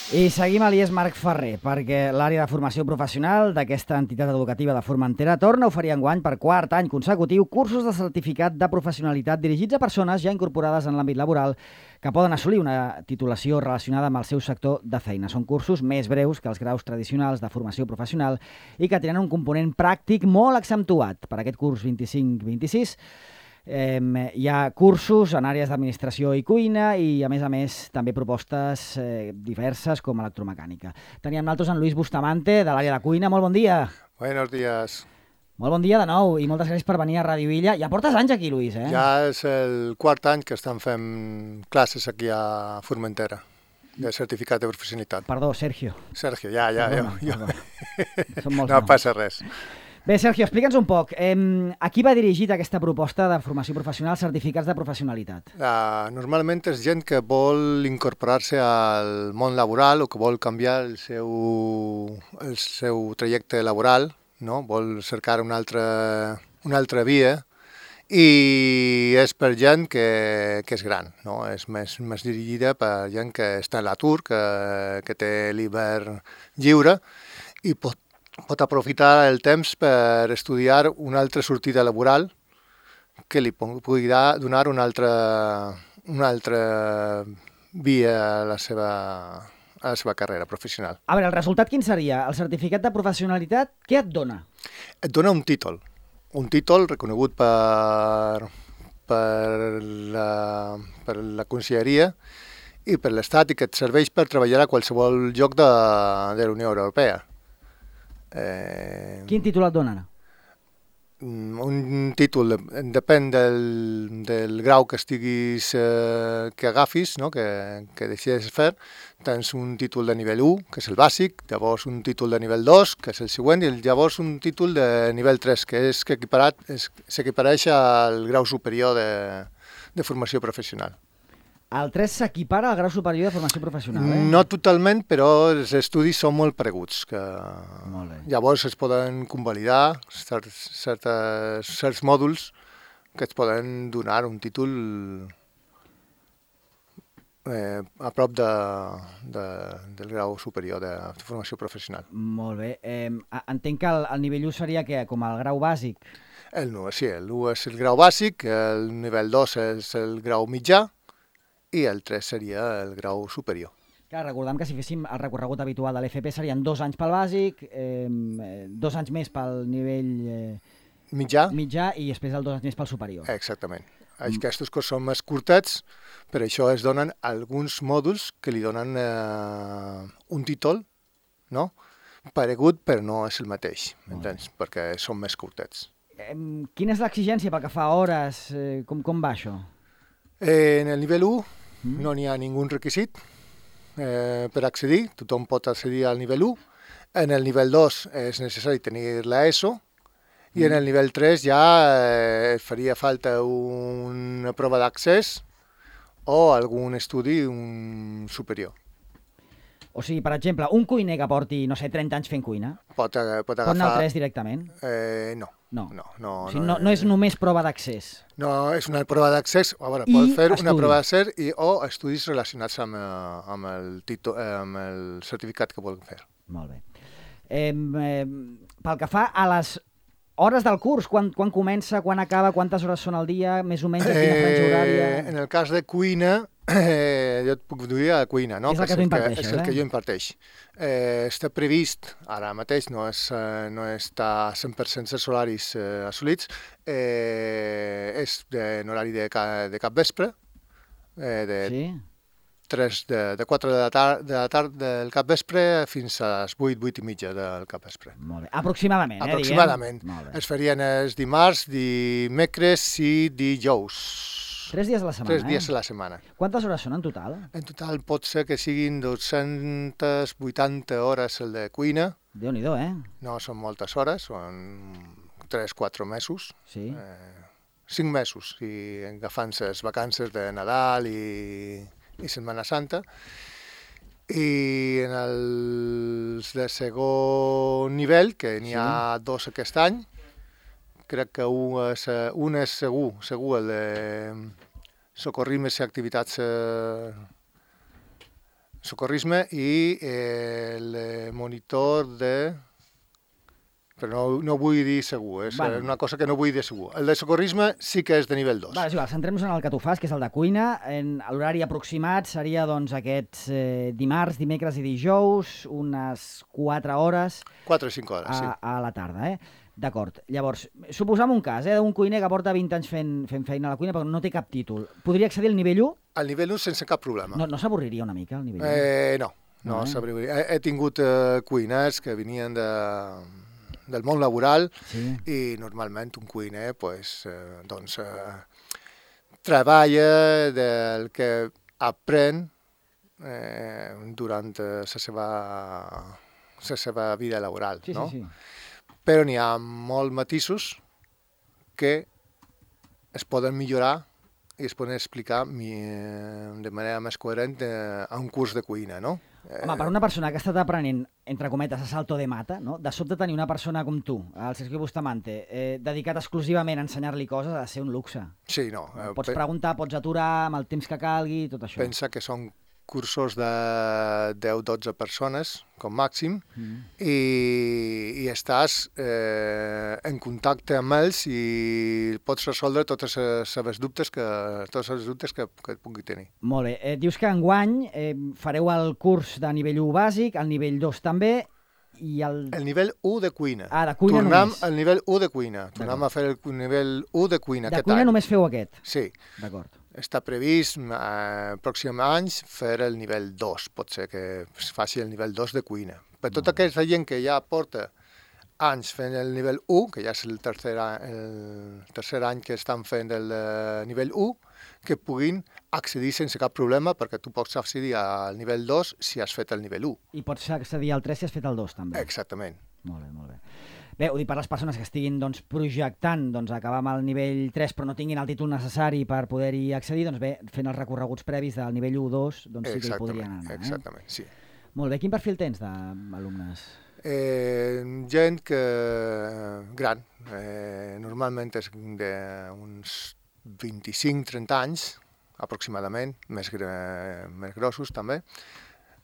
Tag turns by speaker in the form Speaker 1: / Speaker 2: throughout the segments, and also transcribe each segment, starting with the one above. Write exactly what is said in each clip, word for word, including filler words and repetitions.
Speaker 1: I seguim a l'I E S Marc Ferrer, perquè l'àrea de formació professional d'aquesta entitat educativa de Formentera torna a oferir enguany per quart any consecutiu cursos de certificat de professionalitat dirigits a persones ja incorporades en l'àmbit laboral que poden assolir una titulació relacionada amb el seu sector de feina. Són cursos més breus que els graus tradicionals de formació professional i que tenen un component pràctic molt accentuat. Per aquest curs vint-i-cinc vint-i-sis Eh, hi ha cursos en àrees d'administració i cuina i, a més a més, també propostes eh, diverses com electromecànica. Teníem nosaltres en Luis Bustamante, de l'àrea de cuina. Molt bon dia.
Speaker 2: Buenos días.
Speaker 1: Molt bon dia de nou i moltes gràcies per venir a Ràdio Illa. Ja portes anys aquí, Luis, eh?
Speaker 2: Ja és el quart any que estan fent classes aquí a Formentera, de certificat de professionalitat.
Speaker 1: Perdó, Sergio.
Speaker 2: Sergio, ja, ja.
Speaker 1: Perdona,
Speaker 2: jo,
Speaker 1: perdona. Són molts
Speaker 2: no
Speaker 1: noms.
Speaker 2: passa res.
Speaker 1: Bé, Sergio, explica'ns un poc. Eh, a qui va dirigit aquesta proposta de formació professional, certificats de professionalitat?
Speaker 2: Uh, normalment és gent que vol incorporar-se al món laboral o que vol canviar el seu, el seu trajecte laboral, no? Vol cercar una altra, una altra via i és per gent que, que és gran, no? És més, més dirigida per gent que està a l'atur, que, que té l'hivern lliure i pot pot aprofitar el temps per estudiar una altra sortida laboral que li pugui donar una altra, una altra via a la seva, a la seva carrera professional.
Speaker 1: A veure, el resultat quin seria? El certificat de professionalitat, què et dona?
Speaker 2: Et dona un títol, un títol reconegut per, per, la, per la Conselleria i per l'Estat i que et serveix per treballar a qualsevol lloc de, de la Unió Europea.
Speaker 1: Eh... Quin títol et donen?
Speaker 2: Un títol, depèn del, del grau que estiguis, eh, que agafis, no? que, que decidis fer. Tens un títol de nivell u, que és el bàsic, llavors un títol de nivell dos, que és el següent, i llavors un títol de nivell tres, que és que s'equipareix al grau superior de, de formació professional.
Speaker 1: El tres s'equipara al grau superior de formació professional, eh?
Speaker 2: No totalment, però els estudis són molt pareguts. Que
Speaker 1: molt bé.
Speaker 2: Llavors es poden convalidar certs, certes, certs mòduls que et poden donar un títol eh, a prop de, de, del grau superior de formació professional.
Speaker 1: Molt bé. Eh, entenc que el, el nivell u seria que com el grau bàsic?
Speaker 2: El u, sí, el u és el grau bàsic, el nivell dos és el grau mitjà, i el tres seria el grau superior.
Speaker 1: Clar, recordem que si féssim el recorregut habitual de l'F P serien dos anys pel bàsic, eh, dos anys més pel nivell eh,
Speaker 2: mitjà.
Speaker 1: mitjà i després el dos anys més pel superior.
Speaker 2: Exactament. Mm. Aquests curs són més curtets, per això es donen alguns mòduls que li donen eh, un títol, no? Paregut, però no és el mateix, m'entens? Perquè són més curtets.
Speaker 1: Eh, quina és l'exigència pel que fa a hores? Eh, com, com va això?
Speaker 2: Eh, en el nivell u mm. no n'hi ha ningú requisit eh, per accedir, tothom pot accedir al nivell u. En el nivell dos és necessari tenir l'ESO mm. i en el nivell tres ja eh, faria falta una prova d'accés o algun estudi un superior.
Speaker 1: O sigui, per exemple, un cuiner que porti, no sé, trenta anys fent cuina,
Speaker 2: pot, pot agafar...
Speaker 1: Pot anar al tres directament?
Speaker 2: Eh, no.
Speaker 1: No.
Speaker 2: No, no,
Speaker 1: o sigui, no, no és només prova d'accés.
Speaker 2: No, és una prova d'accés, a veure,
Speaker 1: I
Speaker 2: pot fer
Speaker 1: estudi.
Speaker 2: una prova d'accés i, o estudis relacionats amb, amb, el títol, amb el certificat que volen fer.
Speaker 1: Molt bé. Eh, eh, pel que fa a les hores del curs, quan, quan comença, quan acaba, quantes hores són al dia, més o menys, a quina franja horària?
Speaker 2: Eh, en el cas de cuina, eh, jo et puc dir a la cuina, no?
Speaker 1: És el que, que tu imparteixes,
Speaker 2: és el
Speaker 1: eh?
Speaker 2: que jo imparteix. Eh, està previst, ara mateix no, és, eh, no està cent per cent dels horaris eh, assolits, eh, és en horari de, de cap vespre, eh, de
Speaker 1: sí?
Speaker 2: tres, de, de quatre de la, tar de la tarda del cap vespre fins a les vuit, vuit i mitja del cap vespre.
Speaker 1: Molt bé. Aproximadament, eh,
Speaker 2: Aproximadament.
Speaker 1: diguem?
Speaker 2: Es farien els dimarts, dimecres i dijous.
Speaker 1: Tres dies a la setmana,
Speaker 2: Tres dies
Speaker 1: eh?
Speaker 2: a la setmana.
Speaker 1: Quantes hores són en total?
Speaker 2: En total pot ser que siguin dues-centes vuitanta hores el de cuina.
Speaker 1: Déu-n'hi-do, eh?
Speaker 2: No són moltes hores, són tres quatre mesos.
Speaker 1: Sí.
Speaker 2: Eh, cinc mesos, si agafant les vacances de Nadal i, i Setmana Santa. I en els de segon nivell, que n'hi ha sí. dos aquest any, crec que un és, un és segur, segur el de socorrismes i activitats eh, socorrisme i eh, el monitor de... Però no, no vull dir segur, és
Speaker 1: Vale.
Speaker 2: una cosa que no vull dir segur. El de socorrisme sí que és de nivell dos.
Speaker 1: Vale, és igual, centrem-nos en el que tu fas, que és el de cuina. En l'horari aproximat seria doncs, aquests eh, dimarts, dimecres i dijous, unes quatre hores
Speaker 2: quatre o cinc hores,
Speaker 1: a,
Speaker 2: sí.
Speaker 1: a la tarda, eh? D'acord. Llavors, suposam un cas, eh, d'un cuiner que porta vint anys fent, fent feina a la cuina però no té cap títol. Podria accedir al nivell u?
Speaker 2: Al nivell un sense cap problema.
Speaker 1: No, no s'avorriria una mica, el nivell u?
Speaker 2: Eh, no, no,
Speaker 1: No, eh?
Speaker 2: s'abriria. He, he tingut eh, cuiners que venien de, del món laboral
Speaker 1: Sí.
Speaker 2: i normalment un cuiner pues, eh, doncs, eh, treballa del que aprèn eh, durant eh, la seva, la seva vida laboral.
Speaker 1: Sí,
Speaker 2: no?
Speaker 1: sí, sí.
Speaker 2: Però n'hi ha molts matisos que es poden millorar i es poden explicar mi, de manera més coherent eh, a un curs de cuina, no?
Speaker 1: Home, per una persona que ha estat aprenent, entre cometes, a salto de mata, no? De sobte tenir una persona com tu, el Sergio Bustamante, eh, dedicat exclusivament a ensenyar-li coses, ha de ser un luxe.
Speaker 2: Sí, no. eh,
Speaker 1: Pots
Speaker 2: pe-
Speaker 1: preguntar, pots aturar amb el temps que calgui, tot això.
Speaker 2: Pensa que són cursos de deu o dotze persones, com màxim,
Speaker 1: Mm.
Speaker 2: i, i estàs eh, en contacte amb ells i pots resoldre totes les seves dubtes que, tots els dubtes que, que et pugui tenir.
Speaker 1: Molt bé. Eh, dius que enguany eh, fareu el curs de nivell u bàsic, el nivell dos també, i el...
Speaker 2: El nivell u de cuina.
Speaker 1: Ah, de cuina
Speaker 2: Tornem
Speaker 1: només.
Speaker 2: al nivell u de cuina. Tornem a fer el nivell u de cuina
Speaker 1: De
Speaker 2: aquest
Speaker 1: cuina
Speaker 2: any.
Speaker 1: només feu aquest.
Speaker 2: Sí.
Speaker 1: D'acord.
Speaker 2: Està previst eh, pròxims anys fer el nivell dos, pot ser que es faci el nivell dos de cuina. Per tota aquesta gent que ja porta anys fent el nivell u, que ja és el tercer, a- el tercer any que estan fent el eh, nivell u, que puguin accedir sense cap problema, perquè tu pots accedir al nivell dos si has fet el nivell u.
Speaker 1: I pots accedir al tres si has fet el dos també.
Speaker 2: Exactament.
Speaker 1: Molt bé, molt bé. Bé, ho dic per les persones que estiguin doncs, projectant doncs, acabar amb el nivell tres però no tinguin el títol necessari per poder-hi accedir, doncs bé, fent els recorreguts previs del nivell u dos, doncs sí que hi podrien anar.
Speaker 2: exactament, sí.
Speaker 1: Eh? Molt bé, quin perfil tens d'alumnes?
Speaker 2: Eh, gent que gran, eh, normalment és d'uns vint-i-cinc trenta anys, aproximadament, més, gra- més grossos també,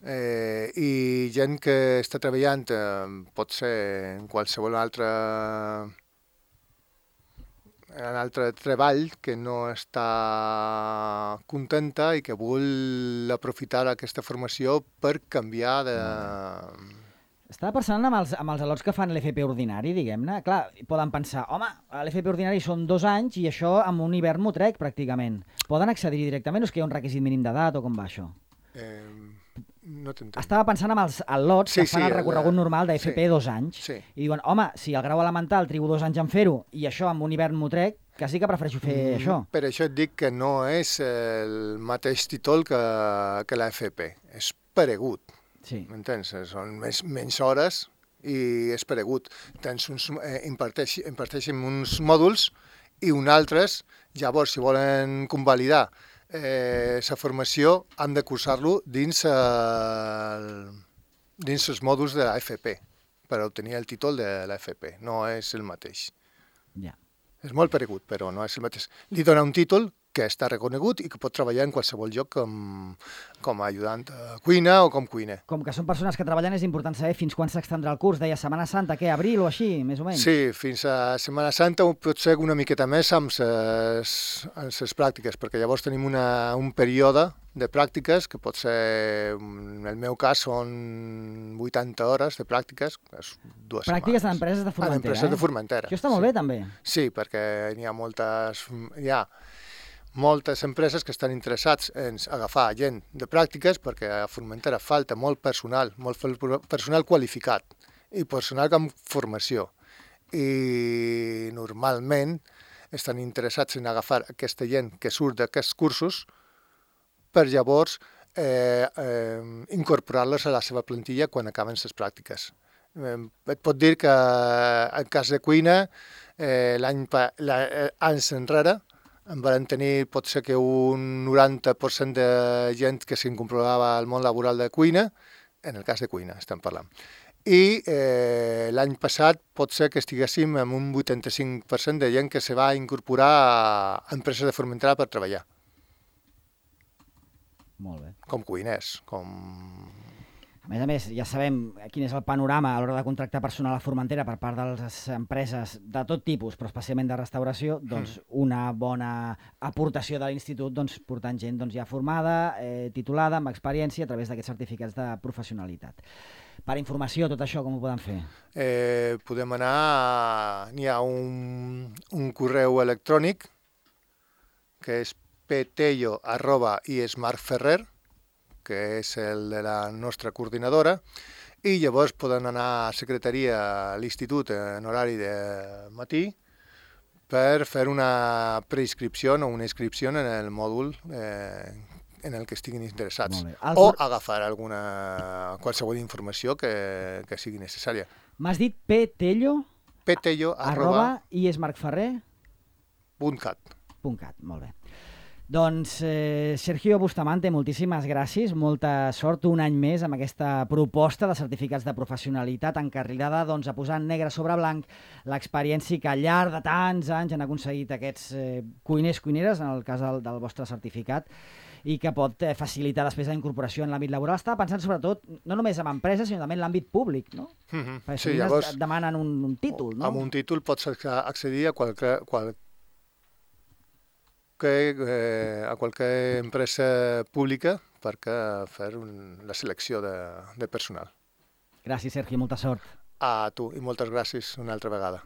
Speaker 2: eh, i gent que està treballant, eh, pot ser en qualsevol altre, en altre treball que no està contenta i que vol aprofitar aquesta formació per canviar de...
Speaker 1: Estava pensant amb els, amb els al·lots que fan l'F P ordinari, diguem-ne. Clar, poden pensar, home, l'F P ordinari són dos anys i això amb un hivern m'ho trec, pràcticament. Poden accedir directament o és que hi ha un requisit mínim d'edat o com va això?
Speaker 2: Eh, no t'entenc.
Speaker 1: Estava pensant amb els al·lots
Speaker 2: Sí,
Speaker 1: que fan
Speaker 2: sí,
Speaker 1: el recorregut
Speaker 2: el-
Speaker 1: normal d'F P
Speaker 2: sí.
Speaker 1: dos anys
Speaker 2: Sí.
Speaker 1: i diuen, home, si el grau elemental trigo dos anys en fer-ho i això amb un hivern m'ho trec, quasi que prefereixo fer
Speaker 2: Mm,
Speaker 1: això.
Speaker 2: Per això et dic que no és el mateix títol que, que l'F P. És paregut,
Speaker 1: Sí.
Speaker 2: m'entens? Són més, menys hores i és paregut. Tens uns, eh, imparteix, imparteixen uns mòduls i uns altres, llavors, si volen convalidar eh, la formació, han de cursar-lo dins, el, dins els mòduls de l'F P per obtenir el títol de l'F P. No és el mateix.
Speaker 1: Ja.
Speaker 2: És molt paregut, però no és el mateix. Li dona un títol que està reconegut i que pot treballar en qualsevol lloc com, com a ajudant a cuina o com cuiner.
Speaker 1: Com que són persones que treballen, és important saber fins quan s'extendrà el curs. Deia Setmana Santa, què, abril o així, més o menys?
Speaker 2: Sí, fins a Setmana Santa pot ser una miqueta més amb les, amb les pràctiques, perquè llavors tenim una, un període de pràctiques que pot ser, en el meu cas, són vuitanta hores de pràctiques, és dues
Speaker 1: Pràctiques en
Speaker 2: setmanes.
Speaker 1: empreses de
Speaker 2: En
Speaker 1: Formentera,
Speaker 2: empreses
Speaker 1: eh?
Speaker 2: de Formentera.
Speaker 1: Això està molt
Speaker 2: sí.
Speaker 1: bé, també.
Speaker 2: Sí, perquè n'hi ha moltes, hi ha moltes empreses que estan interessats en agafar gent de pràctiques perquè a Formentera falta molt personal, molt personal qualificat i personal amb formació. I normalment estan interessats en agafar aquesta gent que surt d'aquests cursos per llavors eh, eh, incorporar-los a la seva plantilla quan acaben les pràctiques. Eh, et pot dir que en cas de cuina, eh, l'any pa- la- eh, anys enrere, en van tenir potser que un noranta per cent de gent que s'incorporava al món laboral de cuina, en el cas de cuina estem parlant. I eh, l'any passat pot ser que estiguéssim amb un vuitanta-cinc per cent de gent que se va incorporar a empreses de Formentera per treballar.
Speaker 1: Molt bé.
Speaker 2: com cuiners, com...
Speaker 1: A més a més, ja sabem quin és el panorama a l'hora de contractar personal a Formentera per part de les empreses de tot tipus, però especialment de restauració, doncs una bona aportació de l'institut doncs, portant gent doncs, ja formada, eh, titulada, amb experiència, a través d'aquests certificats de professionalitat. Per informació, tot això, com ho poden fer?
Speaker 2: Eh, podem anar... A... N'hi ha un, un correu electrònic que és petello arroba iesmarferrer, que és el de la nostra coordinadora, i llavors poden anar a secretaria a l'institut en horari de matí per fer una preinscripció o una inscripció en el mòdul eh, en el que estiguin interessats, o agafar alguna, qualsevol informació que, que sigui necessària.
Speaker 1: M'has dit petello,
Speaker 2: petello
Speaker 1: arroba iesmarferrer
Speaker 2: punt cat.
Speaker 1: .cat, molt bé. Doncs, eh, Sergio Bustamante, moltíssimes gràcies, molta sort un any més amb aquesta proposta de certificats de professionalitat encarrilada doncs, a posar negre sobre blanc l'experiència que al llarg de tants anys han aconseguit aquests eh, cuiners, cuineres, en el cas del, del vostre certificat, i que pot eh, facilitar després la incorporació en l'àmbit laboral. Estava pensant sobretot, no només en empreses, sinó també en l'àmbit públic, no?
Speaker 2: Mm-hmm.
Speaker 1: Perquè
Speaker 2: sí, llavors,
Speaker 1: et demanen un, un títol, no?
Speaker 2: Amb un títol pots accedir a qualque, qual, que, eh, a qualque empresa pública perquè fer un, la selecció de, de personal.
Speaker 1: Gràcies, Sergi, molta sort.
Speaker 2: A tu, i moltes gràcies una altra vegada.